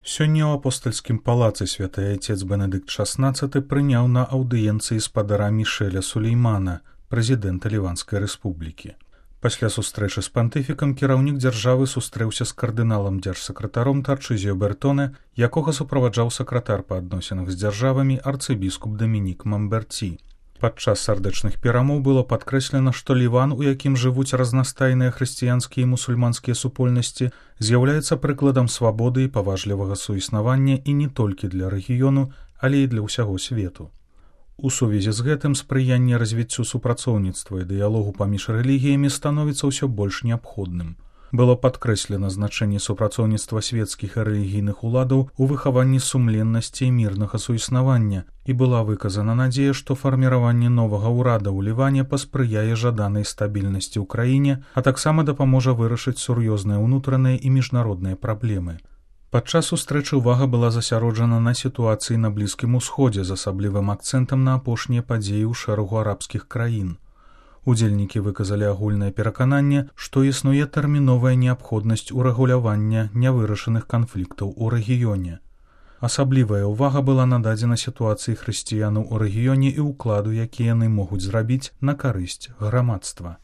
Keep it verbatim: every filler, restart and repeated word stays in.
Сёння ў апостальскім палацы святы айцец Бенедыкт шаснаццаты прыняў на аўдыенцыі спадара Мішэля Сулеймана, прэзідэнта Ліванскай рэспублікі. Пасля сустрэчы з пантыфікам кіраўнік дзяржавы сустрэўся з кардыналам дзяржсакратаром Тарчызіо Бертоне, якога суправаджаў сакратар па адносінах з дзяржавамі арцыбіскуп Дамінік Мамберці. Падчас сардэчных перамоў было падкрэслена, што Ліван, у якім жывуць разнастайныя хрысціянскія і мусульманскія супольнасці, з'яўляецца прыкладам свабоды і паважлівага суіснавання і не толькі для рэгіёну, але і для ўсяго свету. У сувязі з гэтым спрыянне развіццю супрацоўніцтва і дыялогу паміж рэлігіямі становіцца ўсё больш неабходным. Было падкрэслена значэнне супрацоўніцтва свецкіх і рэлігійных уладаў у выхаванні сумленнасці і мірнага суіснавання, і была выказана надзея, што фарміраванне новага ўрада ў Ліване паспрыяе жаданай стабільнасці ў краіне, а таксама дапаможа вырашыць сур'ёзныя ўнутраныя і міжнародныя праблемы. Падчас сустрэчы ўвага была засяроджана на сітуацыі на Блізкім Усходзе з асаблівым акцэнтам на апошнія падзеі ў шэрагу арабскіх краін. Удзельнікі выказалі агульнае перакананне, што існуе тэрміновая неабходнасць урэгулявання нявырашаных канфліктаў у рэгіёне. Асаблівая ўвага была нададзена сітуацыі хрысціянаў у рэгіёне і ўкладу, які яны могуць зрабіць на карысць грамадства.